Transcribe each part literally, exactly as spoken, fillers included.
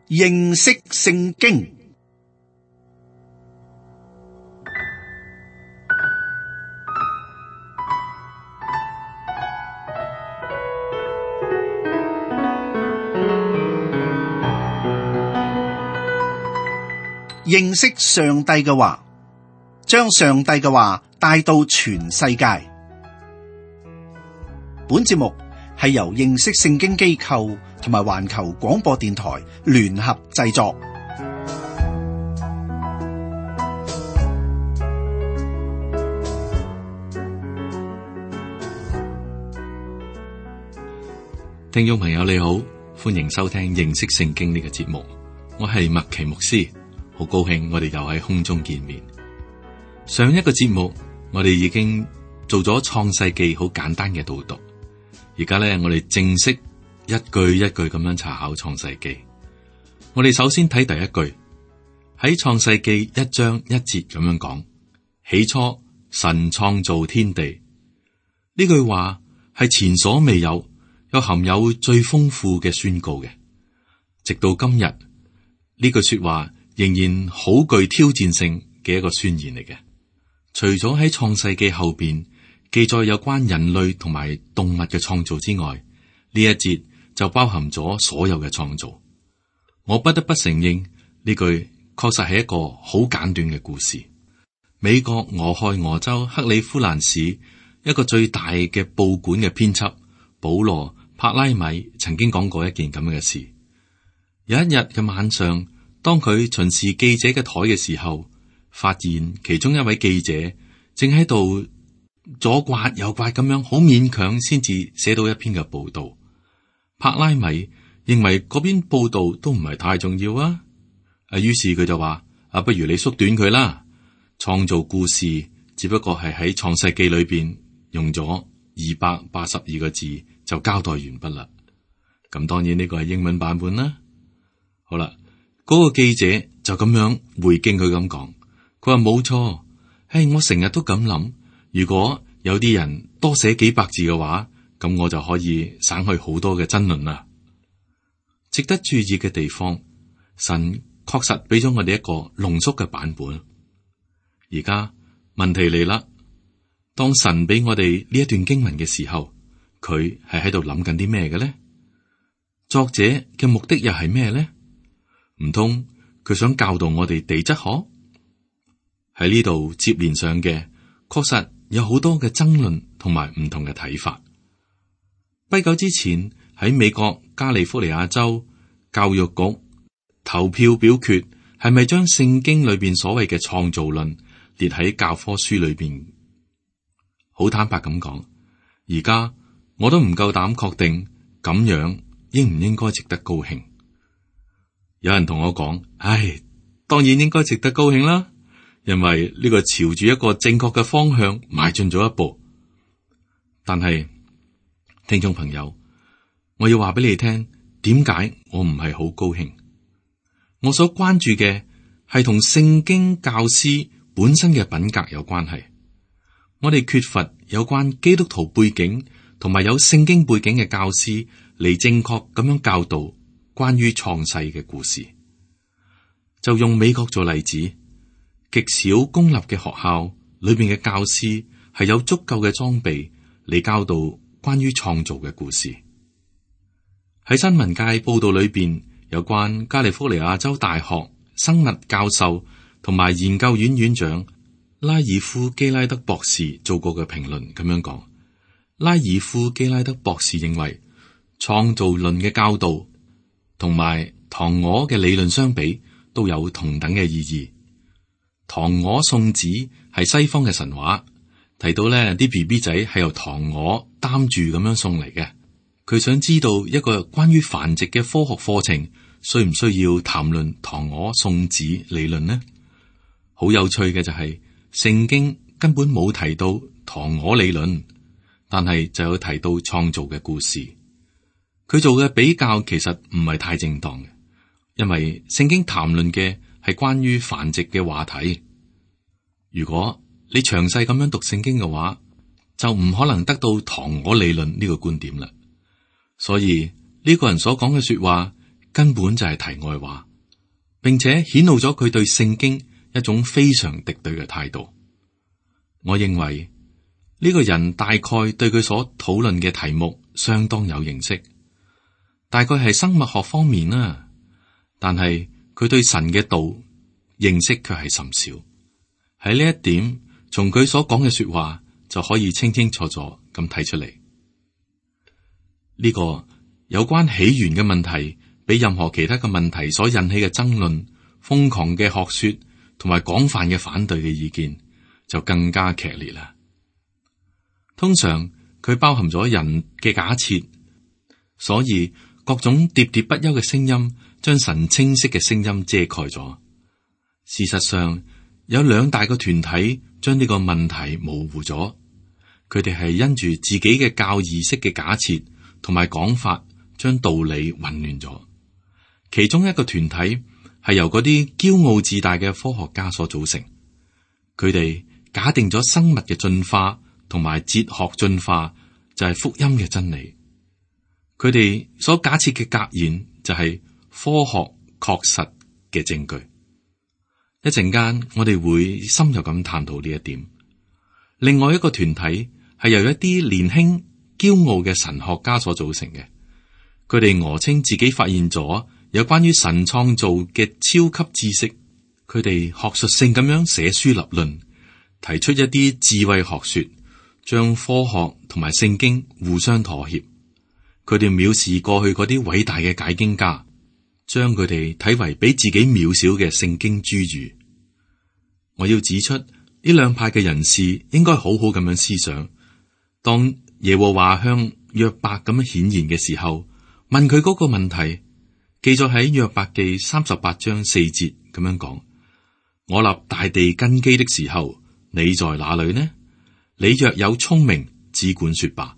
認識聖經。認識上帝嘅話，將上帝嘅話帶到全世界。本節目係由認識聖經機構同埋環球廣播電台聯合製作。聽眾朋友你好，歡迎收聽認識聖經呢個節目，我係麥奇牧師。好高興我哋又喺空中見面。上一個節目我哋已經做咗創世記好簡單嘅導讀，而家咧我哋正式一句一句咁樣查考創世記。我哋首先睇第一句，喺創世記一章一節咁樣講：起初神創造天地。呢句話係前所未有，又含有最豐富嘅宣告嘅。直到今日呢句說話仍然好具挑戰性嘅一個宣言嚟嘅。除咗喺創世記後邊記載有關人類同埋動物嘅創造之外，呢一節就包含咗所有嘅創造。我不得不承認呢句確實係一個好簡短嘅故事。美國俄亥俄州克里夫蘭市一個最大嘅報館嘅編輯保羅帕拉米曾經講過一件咁嘅事。有一日嘅晚上，當佢巡視記者嘅台嘅時候，發現其中一位記者正喺度左刮右刮咁樣，好勉強先至寫到一篇嘅報道。帕拉米認為嗰篇報道都唔係太重要啊，啊，於是佢就話：啊，不如你縮短佢啦。創造故事只不過係喺創世記裏邊用咗二百八十二個字就交代完畢啦。咁當然呢個係英文版本啦。好啦。嗰個記者就咁樣回敬佢咁講，佢話冇錯，唉，我成日都咁諗，如果有啲人多寫幾百字嘅話，咁我就可以省去好多嘅爭論啦。值得注意嘅地方，神確實俾咗我哋一個濃縮嘅版本。而家問題嚟啦，當神俾我哋呢一段經文嘅時候，佢係喺度諗緊啲咩嘅咧？作者嘅目的又係咩咧？唔通佢想教導我哋地質學？喺呢度接連上嘅，確實有好多嘅爭論同埋唔同嘅睇法。不久之前喺美國加利福尼亞州教育局投票表決，係咪將聖經裏邊所謂嘅創造論列喺教科書裏邊？好坦白咁講，而家我都唔夠膽確定咁樣應唔應該值得高興。有人同我講：唉，當然應該值得高興啦，因為呢個朝住一個正確嘅方向邁進咗一步。但係，聽眾朋友，我要話俾你聽，點解我唔係好高興？我所關注嘅係同聖經教師本身嘅品格有關係。我哋缺乏有關基督徒背景同埋有聖經背景嘅教師嚟正確咁樣教導關於創世嘅故事。就用美國做例子，極少公立嘅學校裏邊嘅教師係有足夠嘅裝備嚟教導關於創造嘅故事。喺新聞界報道裏邊，有關加利福尼亞州大學生物教授同埋研究院院長拉爾夫基拉德博士做過嘅評論咁樣講：拉爾夫基拉德博士認為創造論嘅教導同埋嫦娥嘅理論相比，都有同等嘅意義。嫦娥送子係西方嘅神話，提到咧啲 B B 仔係由嫦娥擔住咁樣送嚟嘅。佢想知道一個關於繁殖嘅科學課程，需唔需要談論嫦娥送子理論呢？好有趣嘅就係，聖經根本冇提到嫦娥理論，但係就有提到創造嘅故事。佢做嘅比較其實唔係太正當嘅，因為聖經談論嘅係關於繁殖嘅話題。如果你詳細咁樣讀聖經嘅話，就唔可能得到嫦娥理論呢個觀點啦。所以呢個人所講嘅說話，根本就係題外話，並且顯露咗佢對聖經一種非常敵對嘅態度。我認為呢個人大概對佢所討論嘅題目相當有認識，大概係生物學方面啦，但係佢對神嘅道認識卻係甚少。喺呢一點，從佢所講嘅說話就可以清清楚楚咁睇出嚟。呢個有關起源嘅問題，比任何其他嘅問題所引起嘅爭論、瘋狂嘅學說同埋廣泛嘅反對嘅意見就更加劇烈啦。通常佢包含咗人嘅假設，所以各種喋喋不休嘅聲音將神清晰嘅聲音遮蓋咗。事實上，有兩大個團體將呢個問題模糊咗，佢哋係因住自己嘅教義式嘅假設同埋講法，將道理混亂咗。其中一個團體係由嗰啲驕傲自大嘅科學家所組成，佢哋假定咗生物嘅進化同埋哲學進化就係福音嘅真理。佢哋所假設嘅格言就係科學確實嘅證據。一陣間我哋會深入咁探討呢一點。另外一個團體係由一啲年輕驕傲嘅神學家所組成嘅，佢哋訛稱自己發現咗有關於神創造嘅超級知識，佢哋學術性咁樣寫書立論，提出一啲智慧學說，將科學同埋聖經互相妥協。佢哋藐視過去嗰啲偉大嘅解經家，將佢哋睇為比自己渺小嘅聖經諸語。我要指出，呢兩派嘅人士應該好好咁樣思想。當耶和華向約伯咁樣顯現嘅時候，問佢嗰個問題，記載喺約伯記三十八章四節咁樣講：我立大地根基的時候，你在哪裏呢？你若有聰明，只管說吧。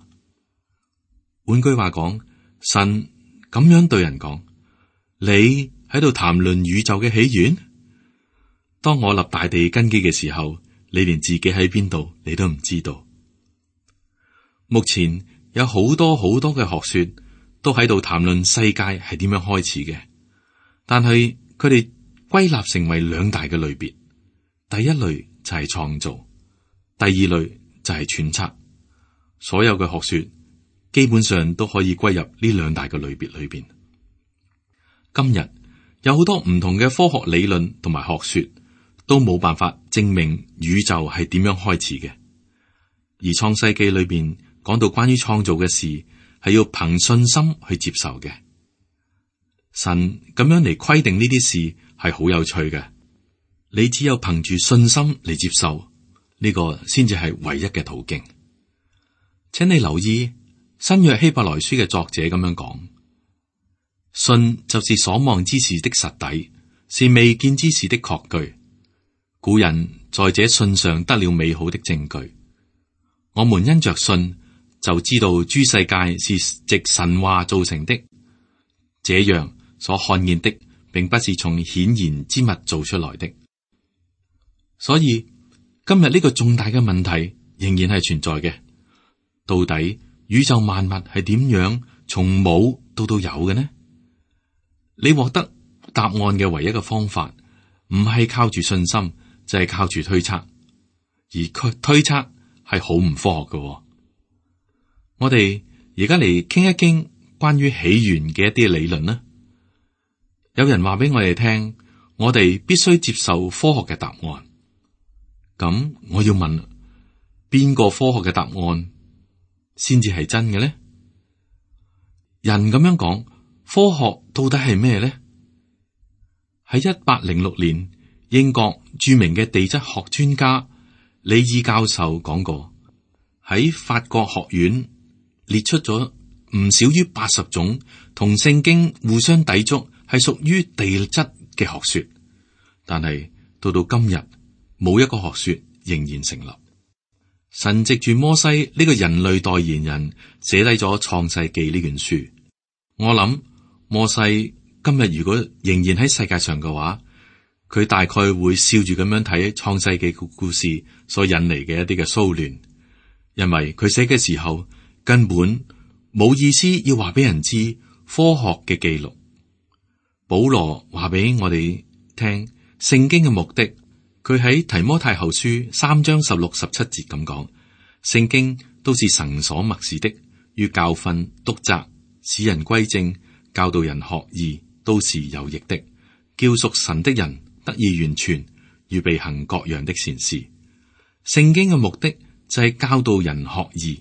換句話講，神咁樣對人講：你喺度談論宇宙嘅起源？當我立大地根基嘅時候，你連自己喺邊度你都唔知道。目前有好多好多嘅學說都喺度談論世界係點樣開始嘅，但係佢哋歸納成為兩大嘅類別。第一類就係創造，第二類就係揣測。所有嘅學說基本上都可以歸入呢兩大嘅類別裏邊。今日有好多唔同嘅科學理論同埋學說都冇辦法證明宇宙係點樣開始嘅，而創世記裏邊講到關於創造嘅事係要憑信心去接受嘅。神咁樣嚟規定呢啲事係好有趣嘅，你只有憑住信心嚟接受呢個先至係唯一嘅途徑。請你留意新約希伯來書嘅作者咁樣講：信就是所望之事的實底，是未見之事的確據。古人在這信上得了美好的證據。我們因着信就知道諸世界是藉神話造成的，這樣所看見的並不是從顯然之物做出來的。所以今日呢個重大嘅問題仍然係存在嘅。到底宇宙萬物係點樣從冇到到有嘅呢？你獲得答案嘅唯一嘅方法唔係靠住信心，就係靠住推測，而佢推測係好唔科學嘅。我哋而家嚟傾一傾關於起源嘅一啲理論啦。有人話俾我哋聽，我哋必須接受科學嘅答案。咁我要問，邊個科學嘅答案先至係真嘅呢？人咁樣講，科學到底係咩呢？喺一八零六年，英國著名嘅地質學專家李爾教授講過，喺法國學院列出咗唔少於八十種同聖經互相抵觸，係屬於地質嘅學說。但係到到今日，冇一個學說仍然成立。神藉住摩西呢個人類代言人寫低咗創世記呢卷書。我諗摩西今日如果仍然喺世界上嘅話，佢大概會笑住咁樣睇創世記嘅故事所引嚟嘅一啲嘅騷亂，因為佢寫嘅時候根本冇意思要話俾人知科學嘅記錄。保羅話俾我哋聽聖經嘅目的，佢喺提摩太後書三章十六十七節咁講：聖經都是神所默示的，於教訓、督責、使人歸正、教導人學義，都是有益的，叫屬神的人得以完全，預備行各樣的善事。聖經嘅目的就係教導人學義，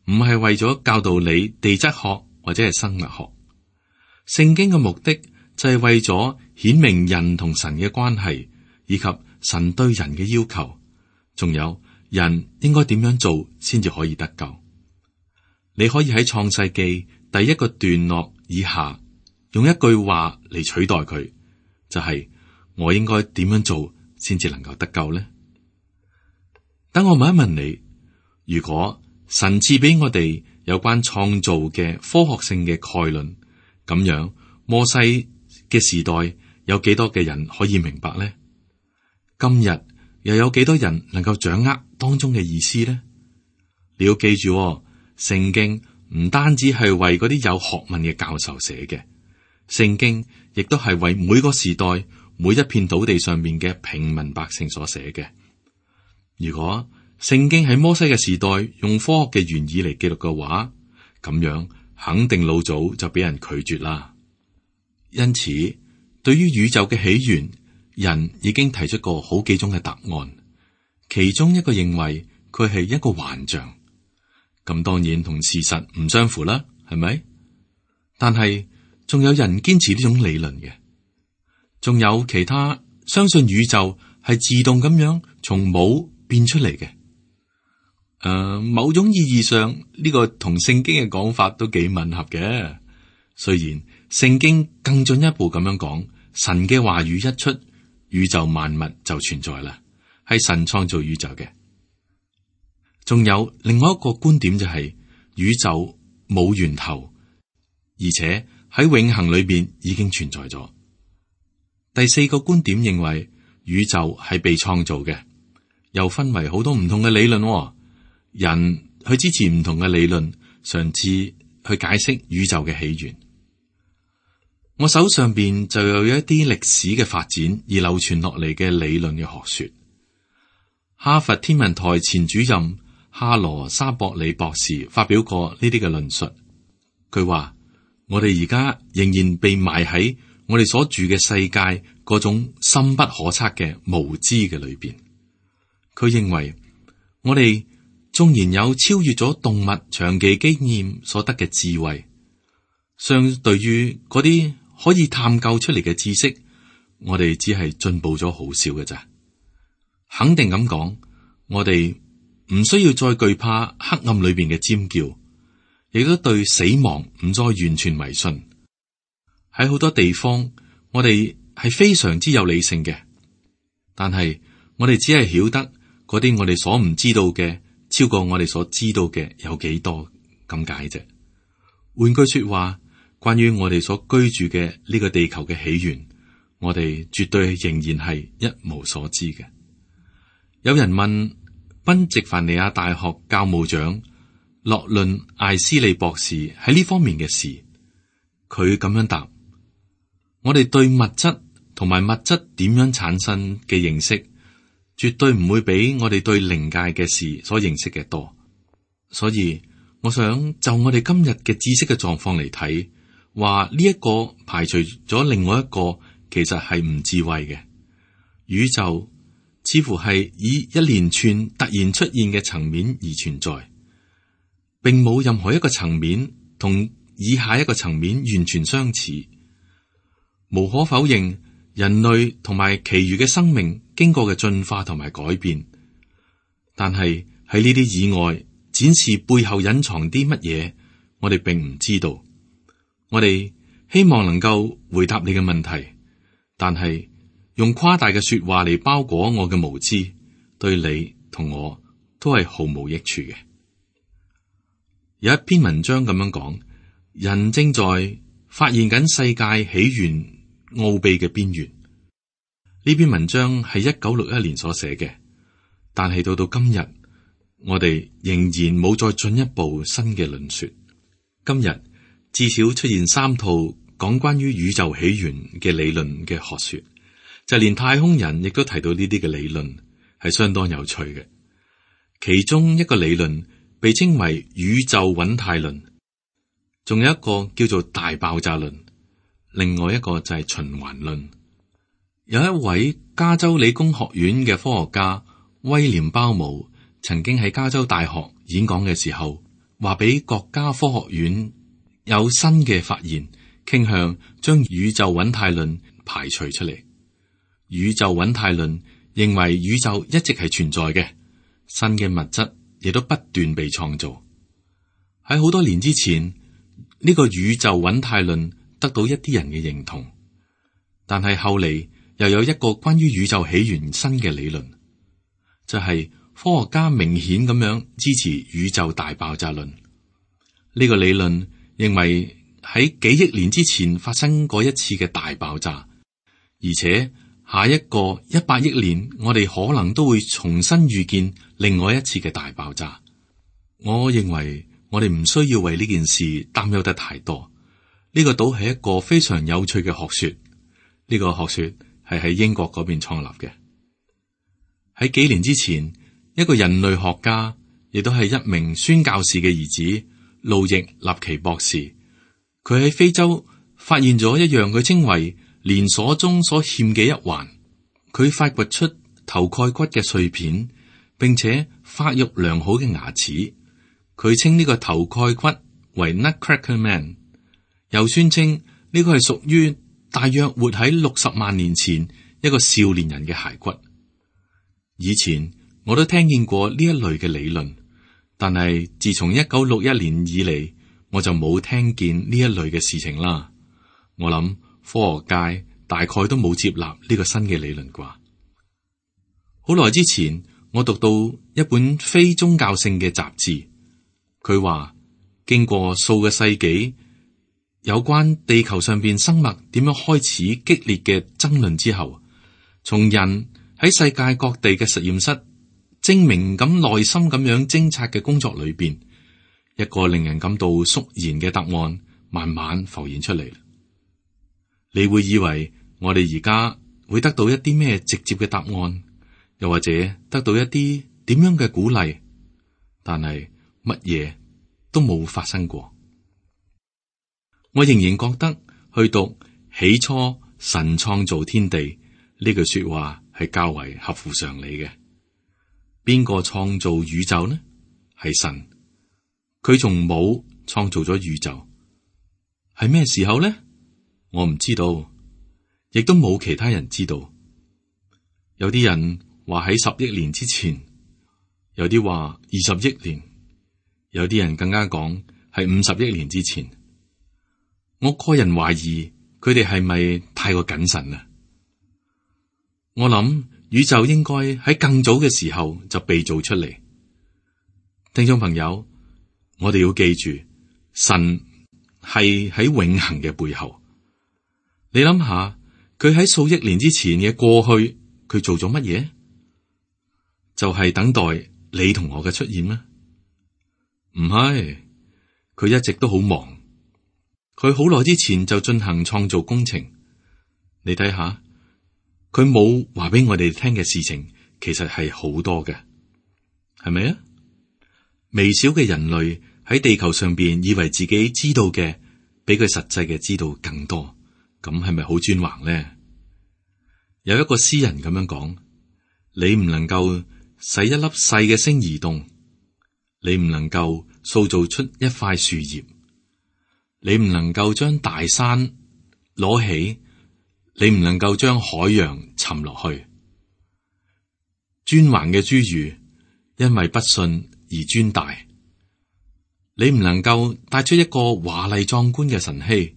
唔係為咗教導你地質學或者係生物學。聖經嘅目的就係為咗顯明人同神嘅關係，以及神對人嘅要求，仲有人應該點樣做先至可以得救。你可以喺創世記第一個段落以下用一句話嚟取代佢，就係我應該點樣做先至能夠得救呢？等我問一問你，如果神賜俾我哋有關創造嘅科學性嘅概論，咁樣摩西嘅時代有幾多嘅人可以明白呢？今日又有幾多人能夠掌握當中嘅意思呢？你要記住哦，聖經唔單止係為嗰啲有學問嘅教授寫嘅，聖經亦都係為每個時代每一片土地上面嘅平民百姓所寫嘅。如果聖經喺摩西嘅時代用科學嘅原意嚟記錄嘅話，咁樣肯定老早就俾人拒絕啦。因此，對於宇宙嘅起源，人已經提出過好幾種嘅答案，其中一個認為佢係一個幻象，咁當然同事實唔相符啦，係咪？但係仲有人堅持呢種理論嘅，仲有其他相信宇宙係自動咁樣從冇變出嚟嘅。誒、呃，某種意義上呢、這個同聖經嘅講法都幾吻合嘅。雖然聖經更進一步咁樣講，神嘅話語一出，宇宙萬物就存在啦，係神創造宇宙嘅。仲有另外一個觀點就係、是、宇宙冇源頭，而且喺永恆裏邊已經存在咗。第四個觀點認為宇宙係被創造嘅，又分為好多唔同嘅理論、哦。人去支持唔同嘅理論，嘗試去解釋宇宙嘅起源。我手上邊就有一啲歷史嘅發展而流傳落嚟嘅理論嘅學說。哈佛天文台前主任哈羅沙博里博士發表過呢啲嘅論述。佢話：我哋而家仍然被埋喺我哋所住嘅世界嗰種深不可測嘅無知嘅裏邊。佢認為我哋縱然有超越咗動物長期經驗所得嘅智慧，相對於嗰啲可以探究出嚟嘅知識，我哋只係進步咗好少嘅咋。肯定咁講，我哋唔需要再懼怕黑暗裏邊嘅尖叫，亦都對死亡唔再完全迷信。喺好多地方，我哋係非常之有理性嘅，但係我哋只係曉得嗰啲我哋所唔知道嘅，超過我哋所知道嘅有幾多咁解啫。換句說話，關於我哋所居住嘅呢個地球嘅起源，我哋絕對仍然係一無所知嘅。有人問賓夕凡尼亞大學教務長洛倫艾斯利博士喺呢方面嘅事，佢咁樣答：我哋對物質同埋物質點樣產生嘅認識，絕對唔會比我哋對靈界嘅事所認識嘅多。所以我想就我哋今日嘅知識嘅狀況嚟睇，話呢一個排除咗另外一個，其實係唔智慧嘅。宇宙似乎係以一連串突然出現嘅層面而存在，並冇任何一個層面同以下一個層面完全相似。無可否認，人類同埋其餘嘅生命經過嘅進化同埋改變，但係喺呢啲以外展示背後隱藏啲乜嘢，我哋並唔知道。我哋希望能夠回答你嘅問題，但係用誇大嘅說話嚟包裹我嘅無知，對你同我都係毫無益處嘅。有一篇文章咁樣講，人正在發現緊世界起源奧秘嘅邊緣。呢篇文章係一九六一年所寫嘅，但係到到今日，我哋仍然冇再進一步新嘅論說。今日至少出現三套講關於宇宙起源嘅理論嘅學說，就連太空人亦都提到呢啲嘅理論，係相當有趣嘅。其中一個理論被稱為宇宙穩態論，仲有一個叫做大爆炸論，另外一個就係循環論。有一位加州理工學院嘅科學家威廉鮑姆曾經喺加州大學演講嘅時候，話俾國家科學院有新嘅發現，傾向將宇宙穩態論排除出嚟。宇宙穩態論認為宇宙一直係存在嘅，新嘅物質亦都不斷被創造。喺好多年之前，呢個宇宙穩態論得到一啲人嘅認同，但係後嚟又有一個關於宇宙起源新嘅理論，就係科學家明顯咁樣支持宇宙大爆炸論。呢個理論認為喺幾億年之前發生過一次嘅大爆炸，而且下一個一百億年，我哋可能都會重新遇見另外一次嘅大爆炸。我認為我哋唔需要為呢件事擔憂得太多。呢個島係一個非常有趣嘅學說，呢個學說係喺英國嗰邊創立嘅。喺幾年之前，一個人類學家，亦都係一名宣教士嘅兒子路易納奇博士，佢喺非洲發現咗一樣佢稱為連鎖中所欠嘅一環。佢發掘出頭蓋骨嘅碎片，並且發育良好嘅牙齒。佢稱呢個頭蓋骨為 Nutcracker Man， 又宣稱呢個係屬於大約活喺六十萬年前一個少年人嘅骸骨。以前我都聽見過呢一類嘅理論，但係自從一九六一年以嚟，我就冇聽見呢一類嘅事情啦。我諗科學界大概都冇接納呢個新嘅理論啩。好耐之前，我讀到一本非宗教性嘅雜誌，佢話經過數個世紀，有關地球上邊生物點樣開始激烈嘅爭論之後，從人喺世界各地嘅實驗室精明咁耐心咁樣偵察嘅工作裏邊，一個令人感到肅然嘅答案慢慢浮現出嚟。你會以為我哋而家會得到一啲咩直接嘅答案，又或者得到一啲點樣嘅鼓勵，但係乜嘢都冇發生過。我仍然覺得去讀起初神創造天地呢句說話係較為合乎常理嘅。邊個創造宇宙呢？係神，佢從冇創造咗宇宙。係咩時候呢？我唔知道，亦都冇其他人知道。有啲人話喺十億年之前，有啲話二十億年，有啲人更加講係五十億年之前。我個人懷疑佢哋係咪太過謹慎啦？我諗宇宙應該喺更早嘅時候就被造出嚟。聽眾朋友，我哋要記住，神係喺永恆嘅背後。你諗下，佢喺數億年之前嘅過去，佢做咗乜嘢？就係等待你同我嘅出現咩？唔係，佢一直都好忙。佢好耐之前就進行創造工程。你睇下，佢冇話俾我哋聽嘅事情，其實係好多嘅，係咪啊？微小嘅人類喺地球上邊，以為自己知道嘅比佢實際嘅知道更多。咁係咪好專橫呢？有一個詩人咁樣講：你唔能夠使一粒細嘅星移動，你唔能夠塑造出一塊樹葉，你唔能夠將大山攞起，你唔能夠將海洋沉落去。專橫嘅侏儒因為不信而專大，你唔能夠帶出一個華麗壯觀嘅晨曦，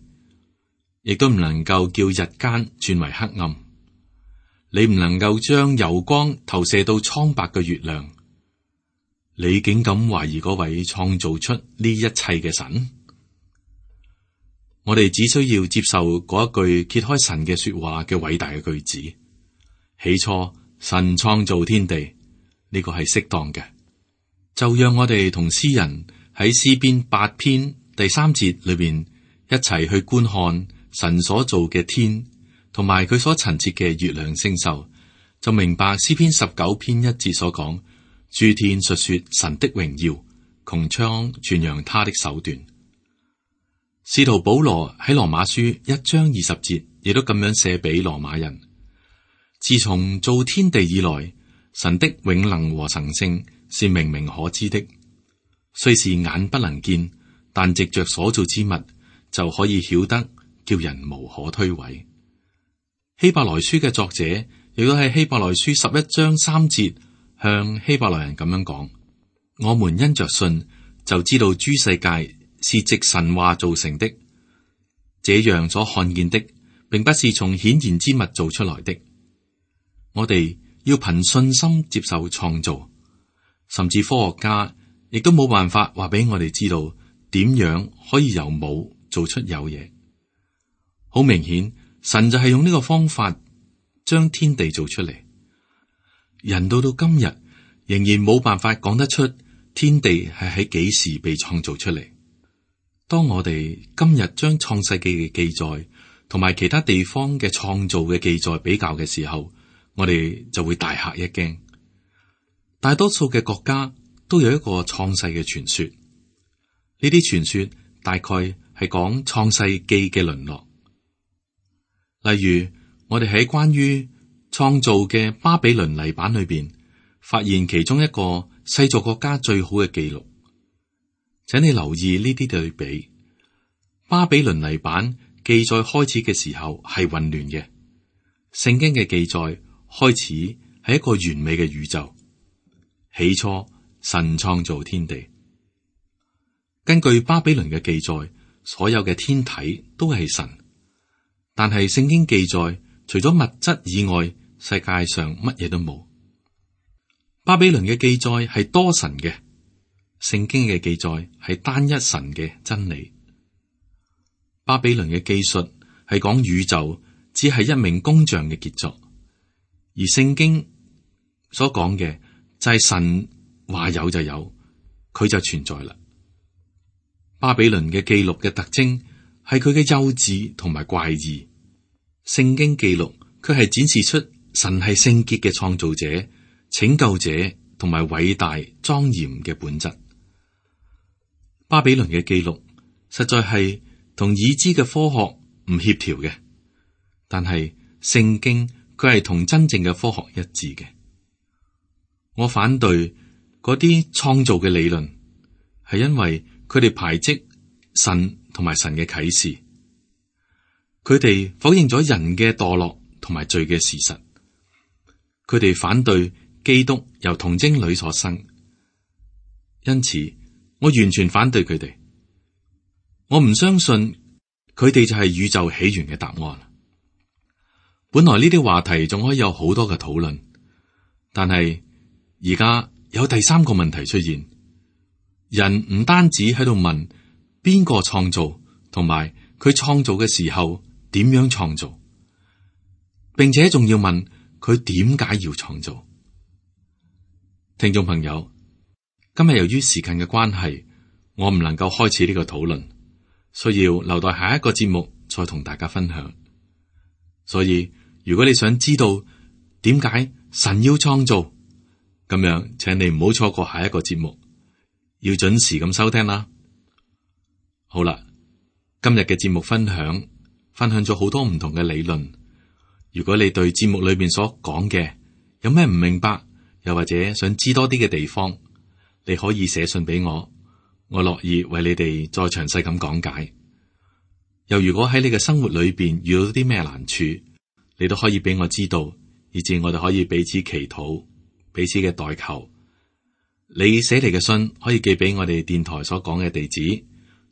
亦都唔能夠叫日間轉為黑暗，你唔能夠將油光投射到蒼白嘅月亮，你竟敢懷疑嗰位創造出呢一切嘅神？我哋只需要接受嗰一句揭開神嘅說話嘅偉大嘅句子：起初神創造天地，呢個係適當嘅。就讓我哋同詩人喺詩篇八篇第三節裏邊一齊去觀看神所做嘅天，同埋佢所陳設嘅月亮星宿，就明白詩篇十九篇一節所講：諸天述說神的榮耀，穹蒼傳揚他的手段。使徒保羅喺羅馬書一章二十節，亦都咁樣寫俾羅馬人：自從造天地以來，神的永能和神性是明明可知的，雖是眼不能見，但藉着所造之物就可以曉得，叫人無可推諉。希伯來書嘅作者亦都喺希伯來書十一章三節向希伯來人咁樣講：我們因着信就知道諸世界是藉神話造成的，這樣所看見的並不是從顯然之物造出來的。我哋要憑信心接受創造，甚至科學家亦都冇辦法話俾我哋知道點樣可以由冇做出有嘢。好明顯，神就係用呢個方法將天地做出嚟。人到到今日仍然冇辦法講得出天地係喺幾時被創造出嚟。當我哋今日將創世記嘅記載同埋其他地方嘅創造嘅記載比較嘅時候，我哋就會大嚇一驚。大多數嘅國家都有一個創世嘅傳說，呢啲傳說大概係講創世記嘅淪落。例如，我哋喺關於創造嘅巴比倫泥板裏邊，發現其中一個世俗國家最好嘅記錄。請你留意呢啲對比。巴比倫泥板記載開始嘅時候係混亂嘅，聖經嘅記載開始係一個完美嘅宇宙。起初神創造天地，根據巴比倫嘅記載，所有嘅天體都係神。但係聖經記載，除咗物質以外，世界上乜嘢都冇。巴比倫嘅記載係多神嘅，聖經嘅記載係單一神嘅真理。巴比倫嘅記述係講宇宙只係一名工匠嘅傑作，而聖經所講嘅就係神話有就有，佢就存在啦。巴比倫嘅記錄嘅特徵係佢嘅幼稚同埋怪異，聖經記錄佢係展示出神係聖潔嘅創造者、拯救者同埋偉大莊嚴嘅本質。巴比倫嘅記錄實在係同已知嘅科學唔協調嘅，但係聖經佢係同真正嘅科學一致嘅。我反對嗰啲創造嘅理論，係因為佢哋排斥神同埋神嘅啟示，佢哋否認咗人嘅墮落同埋罪嘅事實，佢哋反對基督由童貞女所生，因此我完全反對佢哋。我唔相信佢哋就係宇宙起源嘅答案。本來呢啲話題仲可以有好多嘅討論，但係而家有第三個問題出現。人唔單止喺度問邊個創造，同埋佢創造嘅時候點樣創造，並且仲要問佢點解要創造。聽眾朋友，今日由於時間嘅關係，我唔能夠開始呢個討論，需要留待下一個節目再同大家分享。所以如果你想知道點解神要創造，咁樣請你唔好錯過下一個節目，要準時咁收聽啦。好啦，今日嘅節目分享分享咗好多唔同嘅理論。如果你對節目裏邊所講嘅有咩唔明白，又或者想知多啲嘅地方，你可以寫信俾我，我樂意為你哋再詳細咁講解。又如果喺你嘅生活裏邊遇到啲咩難處，你都可以俾我知道，以至我哋可以彼此祈禱，彼此嘅代求。你寫嚟嘅信可以寄俾我哋電台所講嘅地址，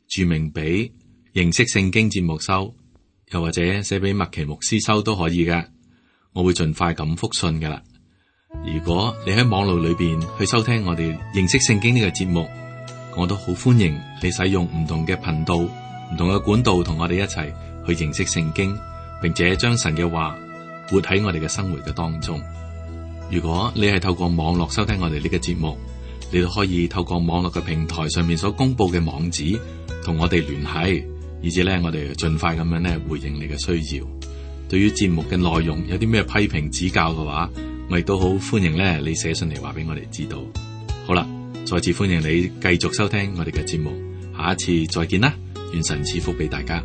注明俾認識聖經節目收，又或者寫俾麥奇牧師收都可以嘅，我會盡快咁復信噶啦。如果你喺網絡裏邊去收聽我哋認識聖經呢個節目，我都好歡迎你使用唔同嘅頻道、唔同嘅管道同我哋一齊去認識聖經，並且將神嘅話活喺我哋嘅生活嘅當中。如果你係透過網絡收聽我哋呢個節目，你都可以透過網絡嘅平台上面所公布嘅網址同我哋聯繫，以至咧我哋盡快咁樣咧回應你嘅需要。對於節目嘅內容有啲咩批評指教嘅話，我亦都好歡迎咧你寫信嚟話俾我哋知道。好啦，再次歡迎你繼續收聽我哋嘅節目，下一次再見啦，願神賜福俾大家。